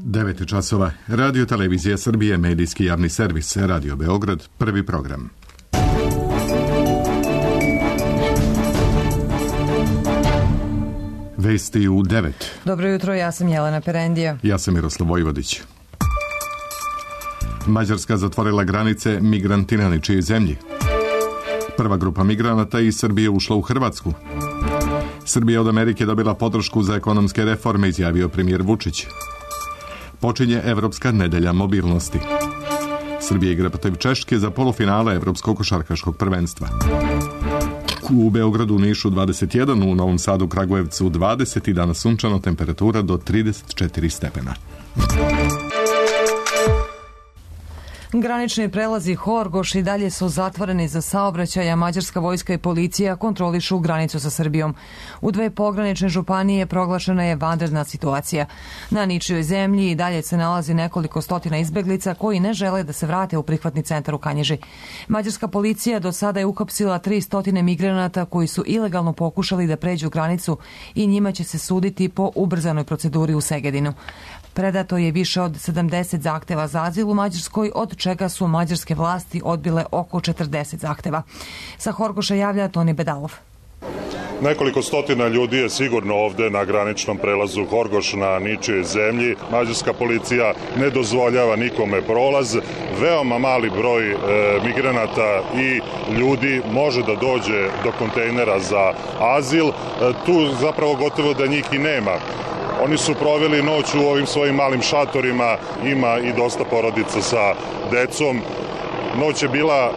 9 časova. Radio Televizija Srbije, medijski javni servis, Radio Beograd, prvi program. Vesti u 9. Dobro jutro, ja sam Jelena Perendija. Ja sam Miroslav Vojvodić. Mađarska zatvorila granice migranti na ničijoj zemlji. Prva grupa migranata iz Srbije ušla u Hrvatsku. Srbija od Amerike dobila podršku za ekonomske reforme, izjavio premijer Vučić. Počinje Evropska nedelja mobilnosti. Srbija igra protiv Češke za polufinale Evropskog košarkaškog prvenstva. U Beogradu, u Nišu 21, u Novom Sadu, Kragujevcu 20 i danas sunčano, temperatura do 34 stepena. Granični prelazi Horgoš i dalje su zatvoreni za saobraćaj, a mađarska vojska i policija kontrolišu granicu sa Srbijom. U dve pogranične županije proglašena je vanredna situacija. Na ničijoj zemlji i dalje se nalazi nekoliko stotina izbeglica koji ne žele da se vrate u prihvatni centar u Kanjiži. Mađarska policija do sada je uhapsila 300 migranata koji su ilegalno pokušali da pređu granicu i njima će se suditi po ubrzanoj proceduri u Segedinu. Predato je više od 70 zahteva za azil u Mađarskoj, od čega su mađarske vlasti odbile oko 40 zahteva. Sa Horgoša javlja Toni Bedalov. Nekoliko stotina ljudi je sigurno ovde na graničnom prelazu Horgoš na ničijoj zemlji. Mađarska policija ne dozvoljava nikome prolaz. Veoma mali broj migranata i ljudi može da dođe do kontejnera za azil. Tu zapravo gotovo da njih i nema. Oni su proveli noć u ovim svojim malim šatorima, ima i dosta porodica sa decom. Noć je bila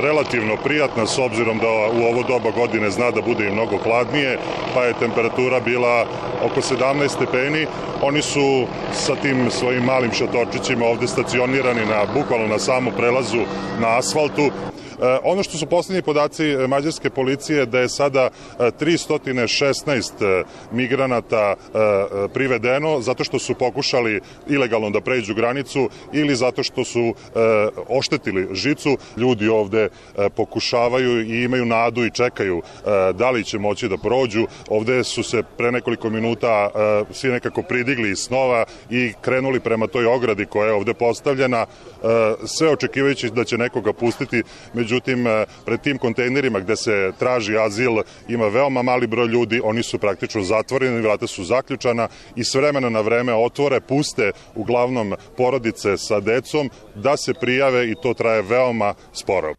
relativno prijatna s obzirom da u ovo doba godine zna da bude i mnogo hladnije, pa je temperatura bila oko 17 stepeni. Oni su sa tim svojim malim šatorčićima ovde stacionirani bukvalno na samom prelazu na asfaltu. Ono što su poslednji podaci mađarske policije da je sada 316 migranata privedeno zato što su pokušali ilegalno da pređu granicu ili zato što su oštetili žicu. Ljudi ovde pokušavaju i imaju nadu i čekaju da li će moći da prođu. Ovde su se pre nekoliko minuta svi nekako pridigli iz snova i krenuli prema toj ogradi koja je ovde postavljena, sve očekivajući da će nekoga pustiti. Međutim, pred tim kontejnerima gde se traži azil ima veoma mali broj ljudi, oni su praktično zatvoreni, vrata su zaključana i s vremena na vreme otvore, puste uglavnom porodice sa decom da se prijave i to traje veoma sporo.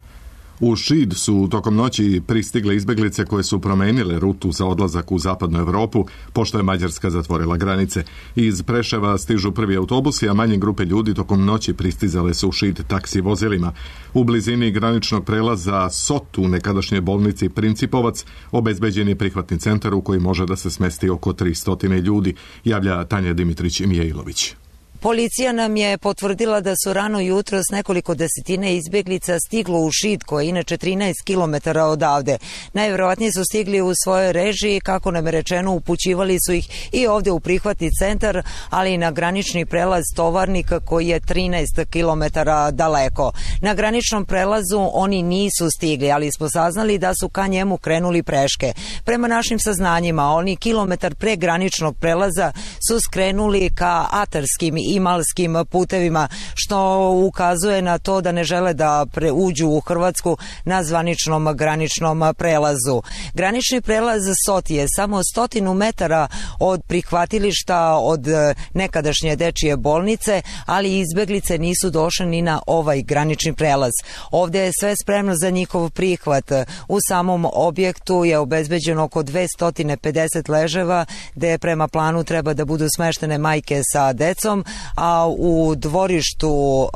U Šid su tokom noći pristigle izbeglice koje su promenile rutu za odlazak u zapadnu Evropu, pošto je Mađarska zatvorila granice. Iz Preševa stižu prvi autobusi, a manje grupe ljudi tokom noći pristizale su u Šid taksi vozilima. U blizini graničnog prelaza Sot u nekadašnjoj bolnici Principovac obezbeđen je prihvatni centar u koji može da se smesti oko 300 ljudi, javlja Tanja Dimitrić-Mijailović. Policija nam je potvrdila da su rano jutro s nekoliko desetina izbeglica stiglo u Šid, koji je inače 13 km odavde. Najverovatnije su stigli u svojoj režiji, kako nam je rečeno, upućivali su ih i ovde u prihvatni centar, ali i na granični prelaz Tovarnika koji je 13 km daleko. Na graničnom prelazu oni nisu stigli, ali smo saznali da su ka njemu krenuli peške. Prema našim saznanjima, oni kilometar pre graničnog prelaza su skrenuli ka atarskim i malskim putevima, što ukazuje na to da ne žele da uđu u Hrvatsku na zvaničnom graničnom prelazu. Granični prelaz Sot je samo 100 metara od prihvatilišta od nekadašnje dečije bolnice, ali izbeglice nisu došle ni na ovaj granični prelaz. Ovde je sve spremno za njihov prihvat. U samom objektu je obezbeđeno oko 250 leževa, gde prema planu treba da budu smeštene majke sa decom, a u dvorištu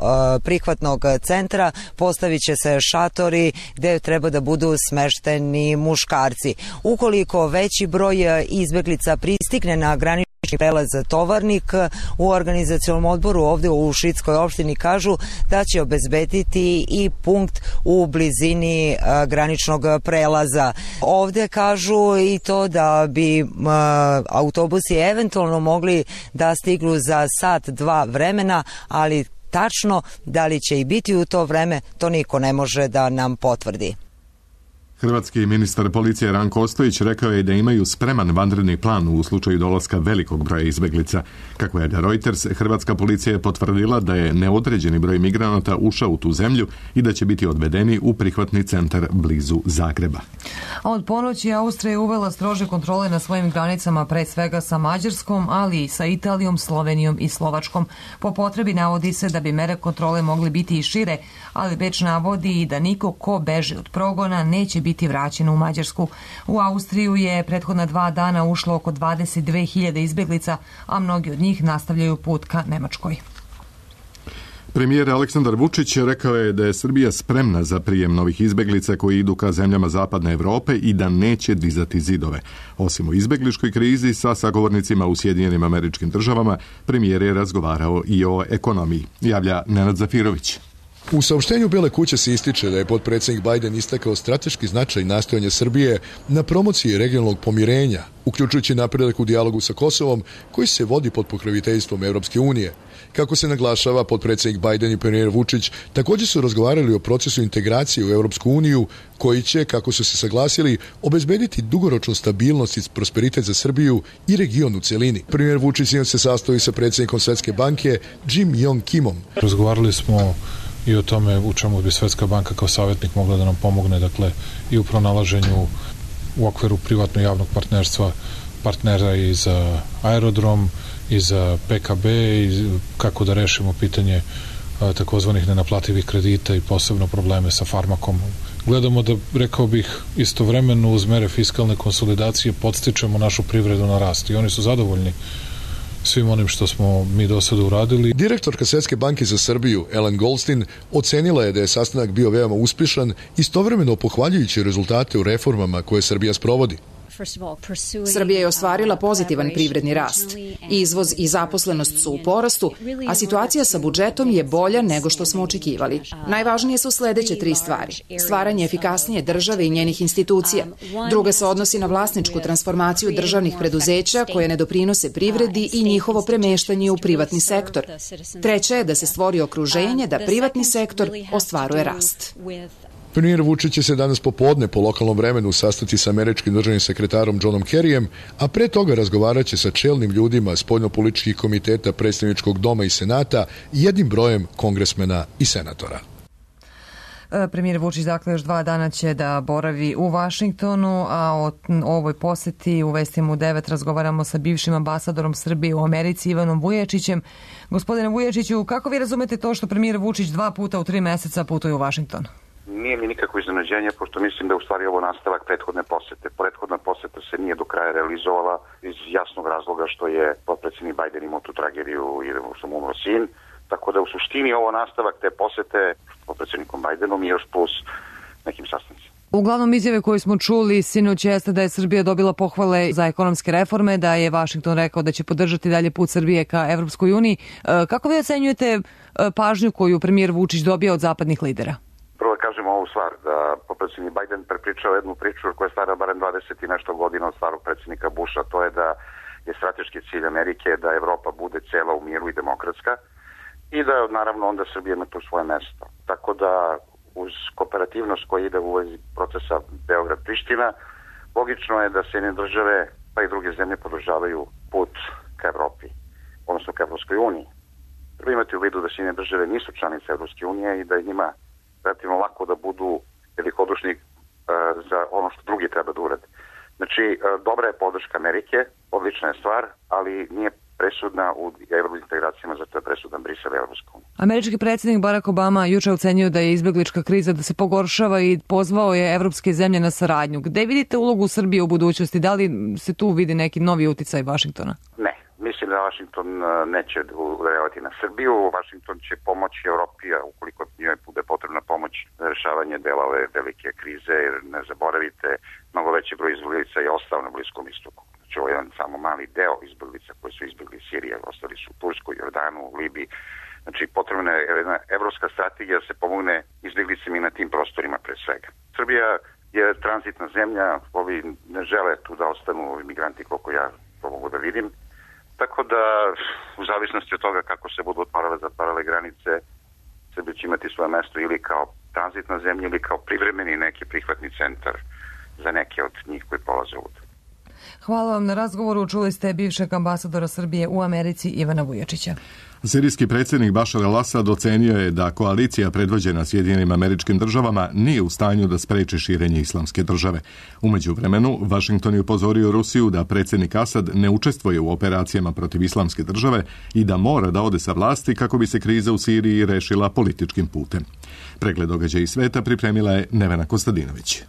prihvatnog centra postavit će se šatori gde treba da budu smešteni muškarci. Ukoliko veći broj izbeglica pristigne na granični prelaz Tovarnik, u organizacionom odboru ovde u Šidskoj opštini kažu da će obezbediti i punkt u blizini graničnog prelaza. Ovde kažu i to da bi autobusi eventualno mogli da stignu za sat, dva vremena, ali tačno da li će i biti u to vreme, to niko ne može da nam potvrdi. Hrvatski ministar policije Ranko Ostojić rekao je da imaju spreman vanredni plan u slučaju dolaska velikog broja izbeglica. Kako je Reuters, hrvatska policija je potvrdila da je neodređeni broj migranata ušao u tu zemlju i da će biti odvedeni u prihvatni centar blizu Zagreba. A od ponoći Austrija je uvela strože kontrole na svojim granicama, pre svega sa Mađarskom, ali i sa Italijom, Slovenijom i Slovačkom. Po potrebi navodi se da bi mere kontrole mogli biti i šire, ali Beč navodi i da niko ko beži od progona neće biti vraćen u Mađarsku. U Austriju je prethodna 2 dana ušlo oko 22.000 izbeglica, a mnogi od njih nastavljaju put ka Nemačkoj. Premijer Aleksandar Vučić rekao je da je Srbija spremna za prijem novih izbeglica koji idu ka zemljama Zapadne Evrope i da neće dizati zidove. Osim o izbegličkoj krizi sa sagovornicima u Sjedinjenim Američkim Državama, premijer je razgovarao i o ekonomiji. Javlja Nenad Zafirović. U saopštenju Bele kuće se ističe da je potpredsjednik Biden istakao strateški značaj nastojanja Srbije na promociji regionalnog pomirenja, uključujući napredak u dijalogu sa Kosovom, koji se vodi pod pokroviteljstvom Evropske unije. Kako se naglašava, potpredsjednik Biden i premijer Vučić također su razgovarali o procesu integracije u Evropsku uniju, koji će, kako su se saglasili, obezbediti dugoročnu stabilnost i prosperitet za Srbiju i region u celini. Premijer Vučić se sastoji sa predsjednikom Svetske banke Jim Yong Kimom. Razgovarali smo i o tome u čemu bi Svetska banka kao savjetnik mogla da nam pomogne, dakle i u pronalaženju u okviru privatno-javnog partnerstva partnera i za aerodrom i za PKB i kako da rešimo pitanje takozvanih nenaplativih kredita i posebno probleme sa farmakom. Gledamo da, rekao bih, istovremeno uz mere fiskalne konsolidacije podstičemo našu privredu na rast i oni su zadovoljni svim onim što smo mi do sada uradili. Direktorka Svetske banke za Srbiju, Ellen Goldstein, ocenila je da je sastanak bio veoma uspješan, istovremeno pohvaljujući rezultate u reformama koje Srbija sprovodi. Srbija je ostvarila pozitivan privredni rast. Izvoz i zaposlenost su u porastu, a situacija sa budžetom je bolja nego što smo očekivali. Najvažnije su sledeće 3 stvari. Stvaranje efikasnije države i njenih institucija. Druga se odnosi na vlasničku transformaciju državnih preduzeća koje ne doprinose privredi i njihovo premeštanje u privatni sektor. Treća je da se stvori okruženje da privatni sektor ostvaruje rast. Premijer Vučić će se danas popodne po lokalnom vremenu sastati sa američkim državnim sekretarom Johnom Kerryjem, a pre toga razgovarat će sa čelnim ljudima spoljnopolitičkih komiteta Predstavničkog doma i Senata i jednim brojem kongresmena i senatora. Premijer Vučić dakle još 2 dana će da boravi u Vašingtonu, a o ovoj poseti u vestima u 9 razgovaramo sa bivšim ambasadorom Srbije u Americi Ivanom Vujačićem. Gospodine Vujačiću, kako vi razumete to što premijer Vučić 2 puta u 3 meseca putuje u Vašington? Nije mi nikako iznenađenje, pošto mislim da je u stvari ovo nastavak prethodne posete. Prethodna poseta se nije do kraja realizovala iz jasnog razloga što je potpredsjednik Biden imao tu tragediju i što mu umro sin. Tako da u suštini ovo nastavak te posete potpredsjednikom Bidenom i još plus nekim sastancima. Uglavnom izjave koje smo čuli sinoć jeste da je Srbija dobila pohvale za ekonomske reforme, da je Vašington rekao da će podržati dalje put Srbije ka Evropskoj uniji. Kako vi ocenjujete pažnju koju premijer Vučić dobija od zapadnih lidera? Prvo kažemo ovu stvar, da potpredsjednik Biden prepričao jednu priču koja je stara barem 20 i nešto godina od starog predsjednika Busha, to je da je strateški cilj Amerike da Evropa bude cela u miru i demokratska i da naravno onda Srbija ima tu svoje mesto. Tako da uz kooperativnost koja ide u vezi procesa Beograd-Priština, logično je da Sjedinjene države pa i druge zemlje podržavaju put ka Evropi, odnosno ka Evropskoj uniji. Treba imati u vidu da Sjedinjene države nisu članice Evropske unije i da je njima relativno lako da budu velikodušni za ono što drugi treba da urade. Znači, dobra je podrška Amerike, odlična je stvar, ali nije presudna u evrointegracijama, zato je presudan Brisel i Evropska unija. Američki predsjednik Barack Obama juče ocenio da je izbeglička kriza da se pogoršava i pozvao je evropske zemlje na saradnju. Gde vidite ulogu Srbije u budućnosti? Da li se tu vidi neki novi uticaj Vašingtona? Ne. Mislim da Vašington neće reagovati na Srbiju. Vašington će pomoći Evropi, a ukoliko njoj bude potrebna pomoć za rešavanje dela ove velike krize, jer ne zaboravite, mnogo veći broj izbeglica je ostao na Bliskom istoku. Znači ovo je jedan samo mali deo izbeglica koji su izbegli iz Sirije, ostali su u Turskoj, Jordanu, Libiji. Znači potrebna je jedna evropska strategija da se pomogne izbeglicima i na tim prostorima pre svega. Srbija je tranzitna zemlja, ovi ne žele tu da ostanu ovi migranti koliko ja to mogu da vidim. Tako da, u zavisnosti od toga kako se budu otvarale, zatvarale granice, Srbija će imati svoje mesto ili kao tranzitna zemlja ili kao privremeni neki prihvatni centar za neke od njih koji polaze ovdje. Hvala vam na razgovoru. Čuli ste bivšeg ambasadora Srbije u Americi Ivana Vujačića. Sirijski predsjednik Bašar al-Asad ocenio je da koalicija predvođena Sjedinjenim Američkim Državama nije u stanju da spreči širenje islamske države. U međuvremenu, Vašington je upozorio Rusiju da predsjednik Asad ne učestvuje u operacijama protiv islamske države i da mora da ode sa vlasti kako bi se kriza u Siriji rešila političkim putem. Pregled događaja iz sveta pripremila je Nevena Kostadinović.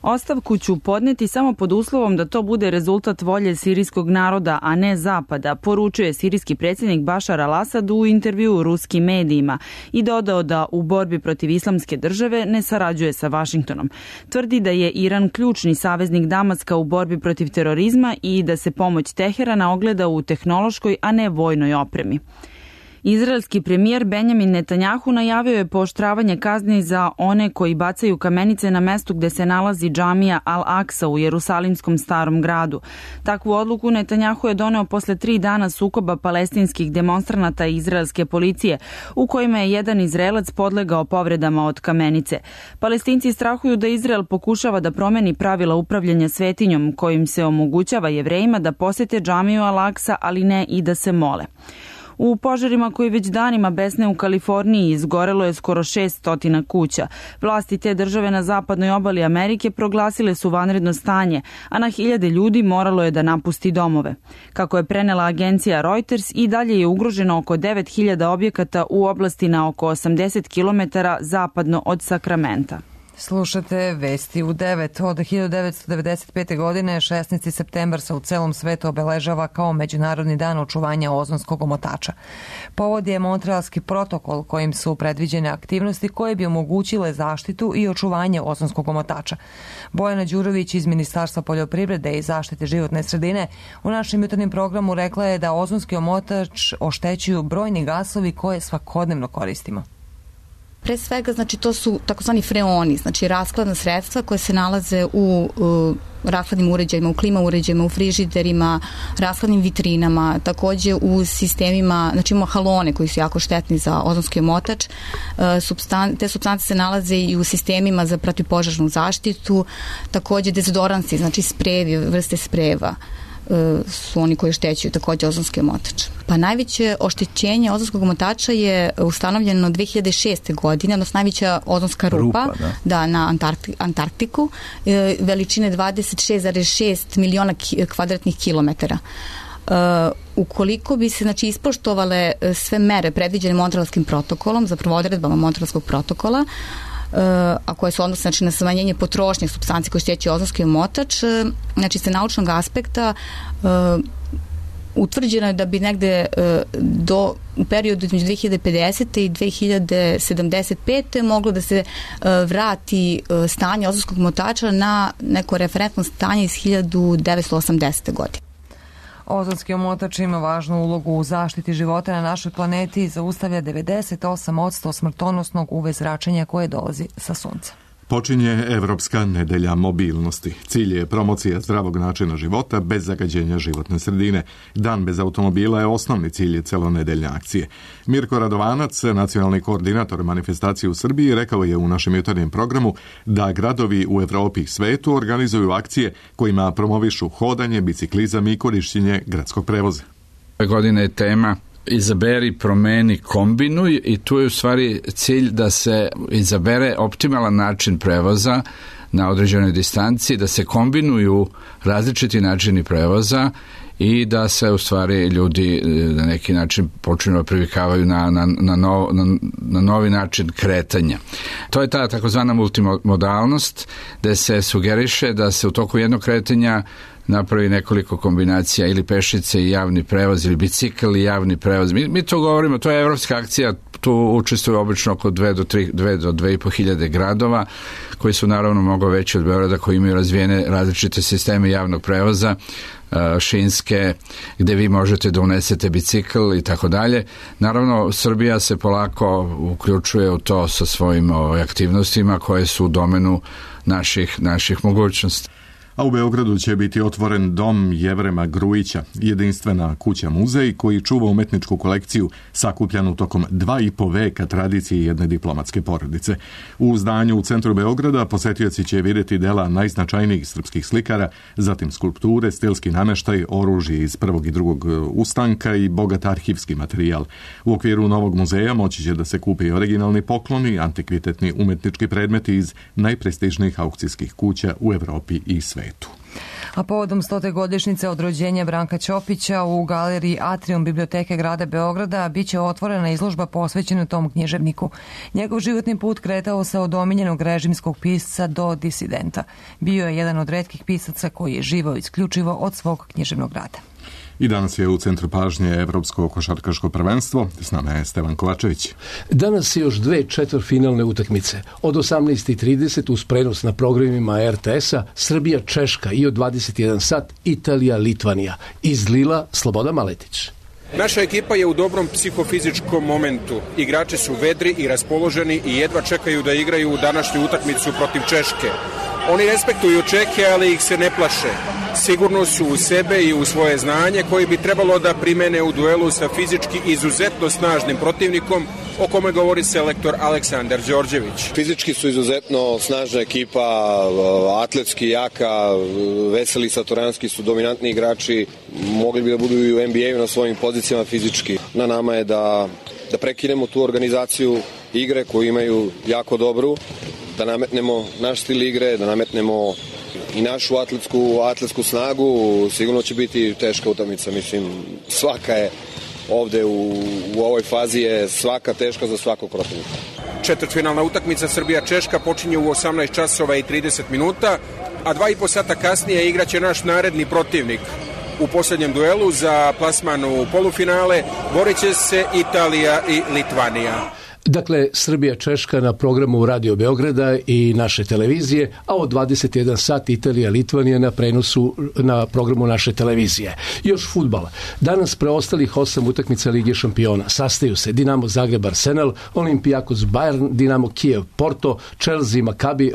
Ostavku ću podneti samo pod uslovom da to bude rezultat volje sirijskog naroda, a ne Zapada, poručuje sirijski predsjednik Bašar al-Asad u intervjuu ruskim medijima i dodao da u borbi protiv islamske države ne sarađuje sa Vašingtonom. Tvrdi da je Iran ključni saveznik Damaska u borbi protiv terorizma i da se pomoć Teherana ogleda u tehnološkoj, a ne vojnoj opremi. Izraelski premijer Benjamin Netanjahu najavio je pooštravanje kazni za one koji bacaju kamenice na mestu gde se nalazi džamija Al-Aksa u Jerusalimskom starom gradu. Takvu odluku Netanjahu je doneo posle 3 dana sukoba palestinskih demonstranata i izraelske policije, u kojima je jedan Izraelac podlegao povredama od kamenice. Palestinci strahuju da Izrael pokušava da promeni pravila upravljanja svetinjom, kojim se omogućava Jevrejima da posete džamiju Al-Aksa, ali ne i da se mole. U požarima koji već danima besne u Kaliforniji izgorelo je skoro 600 kuća. Vlasti te države na zapadnoj obali Amerike proglasile su vanredno stanje, a na hiljade ljudi moralo je da napusti domove. Kako je prenela agencija Reuters, i dalje je ugroženo oko 9000 objekata u oblasti na oko 80 km zapadno od Sakramenta. Slušate vesti u 9. Od 1995. godine 16. septembar se u celom svetu obeležava kao Međunarodni dan očuvanja ozonskog omotača. Povod je Montrealski protokol kojim su predviđene aktivnosti koje bi omogućile zaštitu i očuvanje ozonskog omotača. Bojana Đurović iz Ministarstva poljoprivrede i zaštite životne sredine u našem jutarnjem programu rekla je da ozonski omotač oštećuju brojni gasovi koje svakodnevno koristimo. Pre svega, znači, to su takozvani freoni, znači rashladna sredstva koje se nalaze u rashladnim uređajima, u klima uređajima, u frižiderima, rashladnim vitrinama, takođe u sistemima, znači imamo halone koji su jako štetni za ozonski omotač. Te supstance se nalaze i u sistemima za protivpožarnu zaštitu, takođe dezodoransi, znači sprejevi, vrste sprejeva su oni koji oštećuju takođe ozonski omotač. Pa najveće oštećenje ozonskog omotača je ustanovljeno 2006. godine, odnosno najveća ozonska rupa na Antarktiku, veličine 26,6 miliona kvadratnih kilometara. Ukoliko bi se, znači, ispoštovale sve mere predviđene Montrealskim protokolom, zapravo odredbama Montrealskog protokola, a koje se odnose, znači, na smanjenje potrošnje supstanci koje oštećuju ozonski omotač, znači sa naučnog aspekta utvrđeno je da bi negde u periodu između 2050. i 2075. moglo da se vrati stanje ozonskog omotača na neko referentno stanje iz 1980. godine. Ozonski omotač ima važnu ulogu u zaštiti života na našoj planeti i zaustavlja 98% smrtonosnog UV zračenja koje dolazi sa sunca. Počinje Evropska nedelja mobilnosti. Cilj je promocija zdravog načina života bez zagađenja životne sredine. Dan bez automobila je osnovni cilj celonedeljne akcije. Mirko Radovanac, nacionalni koordinator manifestacije u Srbiji, rekao je u našem jutarnjem programu da gradovi u Evropi i svetu organizuju akcije kojima promovišu hodanje, biciklizam i korišćenje gradskog prevoza. Ove godine je tema izaberi, promeni, kombinuj, i tu je u stvari cilj da se izabere optimalan način prevoza na određenoj distanci, da se kombinuju različiti načini prevoza i da se u stvari ljudi na neki način počinu da privikavaju na novi način kretanja. To je ta takozvana multimodalnost, gde se sugeriše da se u toku jednog kretanja napravi nekoliko kombinacija, ili pešice i javni prevoz, ili bicikl i javni prevoz. Mi to govorimo, to je evropska akcija, tu učestvuju obično oko 2 do 2,5 hiljade gradova, koji su naravno mnogo veći od Beograda, koji imaju razvijene različite sisteme javnog prevoza, šinske, gde vi možete da unesete bicikl i tako dalje. Naravno, Srbija se polako uključuje u to sa svojim aktivnostima koje su u domenu naših mogućnosti. A u Beogradu će biti otvoren dom Jevrema Grujića, jedinstvena kuća muzej koji čuva umetničku kolekciju sakupljanu tokom 2,5 veka tradicije jedne diplomatske porodice. U zdanju u centru Beograda posetioci će vidjeti dela najznačajnijih srpskih slikara, zatim skulpture, stilski nameštaj, oružje iz prvog i drugog ustanka i bogat arhivski materijal. U okviru novog muzeja moći će da se kupe i originalni pokloni, antikvitetni umetnički predmeti iz najprestižnijih aukcijskih kuća u Evropi i svetu. A povodom 100. godišnjice od rođenja Branka Ćopića u galeriji Atrium Biblioteke grada Beograda biće otvorena izložba posvećena tom književniku. Njegov životni put kretao se od omiljenog režimskog pisca do disidenta. Bio je jedan od retkih pisaca koji je živao isključivo od svog književnog rada. I danas je u centru pažnje Evropsko košarkaško prvenstvo. S nama je Stevan Kovačević. Danas je još 2 četvrtfinalne utakmice. Od 18:30 uz prenos na programima RTS-a Srbija-Češka i od 21 sat Italija-Litvanija. Iz Lila Slobodan Maletić. Naša ekipa je u dobrom psihofizičkom momentu. Igrači su vedri i raspoloženi i jedva čekaju da igraju današnju utakmicu protiv Češke. Oni respektuju Čehe, ali ih se ne plaše. Sigurno su u sebe i u svoje znanje koji bi trebalo da primene u duelu sa fizički izuzetno snažnim protivnikom, o kome govori selektor Aleksandar Đorđević. Fizički su izuzetno snažna ekipa, atletski jaka, Veseli Satoranski su dominantni igrači, mogli bi da budu i u NBA-u na svojim pozicijama fizički. Na nama je da prekinemo tu organizaciju igre koju imaju jako dobru, da nametnemo naš stil igre, da nametnemo i našu atletsku snagu. Sigurno će biti teška utakmica, mislim, svaka je ovde u ovoj fazi je svaka teška za svakog protivnika. Četvrtfinalna utakmica Srbija-Češka počinje u 18 časova i 30 minuta, a 2,5 sata kasnije igraće naš naredni protivnik. U posljednjem duelu za plasman u polufinale borit će se Italija i Litvanija. Dakle, Srbija-Češka na programu Radio Beograda i naše televizije, a od 21 sat Italija-Litvanija na prenosu na programu naše televizije. Još fudbal. Danas preostalih 8 utakmica Lige šampiona. Sastaju se Dinamo Zagreb Arsenal, Olympiakos Bayern, Dinamo Kijev Porto, Chelsea Maccabi,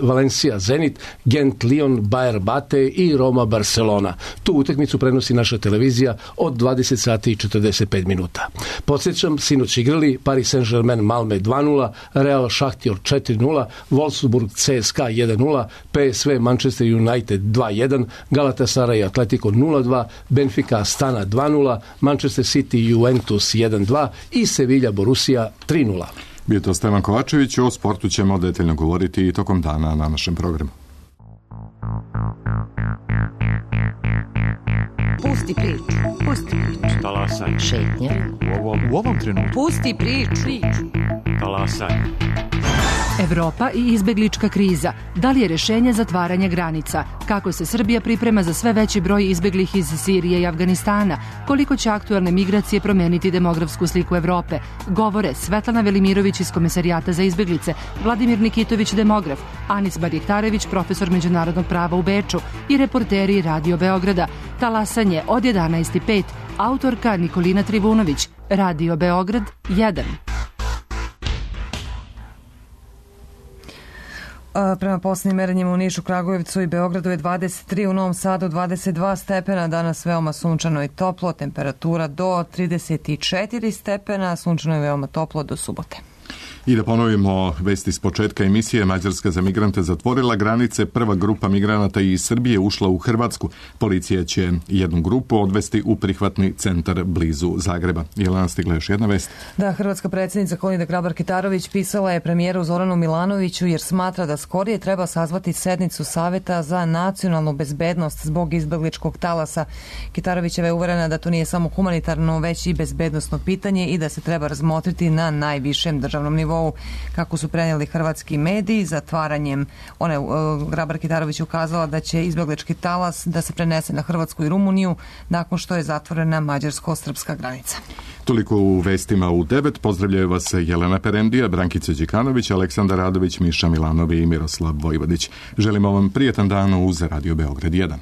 Valencia Zenit, Gent Lyon, Bayer Bate i Roma Barcelona. Tu utakmicu prenosi naša televizija od 20 sati i 45 minuta. Podsjećam, sinoć igrali Paris Saint-Germain Malme 2-0, Real Šahtjor 4-0, Wolfsburg CSKA 1-0, PSV Manchester United 2-1, Galatasaray Atletico 0-2, Benfica Astana 2-0, Manchester City Juventus 1-2 i Sevilla Borussia 3-0. Bio to Stevan Kovačević, o sportu ćemo detaljno govoriti i tokom dana na našem programu. Pusti priču. Talasaj. Šetnja. U ovom trenutku. Pusti priču. Talasaj. Evropa i izbeglička kriza. Da li je rešenje zatvaranje granica? Kako se Srbija priprema za sve veći broj izbeglih iz Sirije i Afganistana? Koliko će aktuelne migracije promeniti demografsku sliku Evrope? Govore Svetlana Velimirović iz Komesarijata za izbeglice, Vladimir Nikitović, demograf, Anis Barjektarević, profesor međunarodnog prava u Beču i reporteri Radio Beograda. Talasanje od 11:05. Autorka Nikolina Trivunović. Radio Beograd 1. Prema posljednjim merenjima u Nišu, Kragujevcu i Beogradu je 23, u Novom Sadu 22 stepena, danas veoma sunčano i toplo, temperatura do 34 stepena, sunčano je veoma toplo do subote. I da ponovimo vesti s početka emisije, Mađarska za migrante zatvorila granice, prva grupa migranata iz Srbije ušla u Hrvatsku. Policija će jednu grupu odvesti u prihvatni centar blizu Zagreba. Jelena, stigla još jedna vest. Da, hrvatska predsjednica Kolinda Grabar-Kitarović pisala je premijeru Zoranu Milanoviću jer smatra da skorije treba sazvati sednicu Saveta za nacionalnu bezbednost zbog izbegličkog talasa. Kitarovićeva je uverena da to nije samo humanitarno, već i bezbednosno pitanje i da se treba razmotriti na najvišem državnom nivou. Kako su prenijeli hrvatski mediji, zatvaranjem Grabar-Kitarović ukazala da će izbeglički talas da se prenese na Hrvatsku i Rumuniju nakon što je zatvorena mađarsko-srpska granica. Toliko u vestima u 9. Pozdravljaju vas Jelena Perendija, Brankica Đikanović, Aleksandar Radović, Miša Milanovi i Miroslav Vojvodić. Želimo vam prijetan dan uz Radio Beograd 1.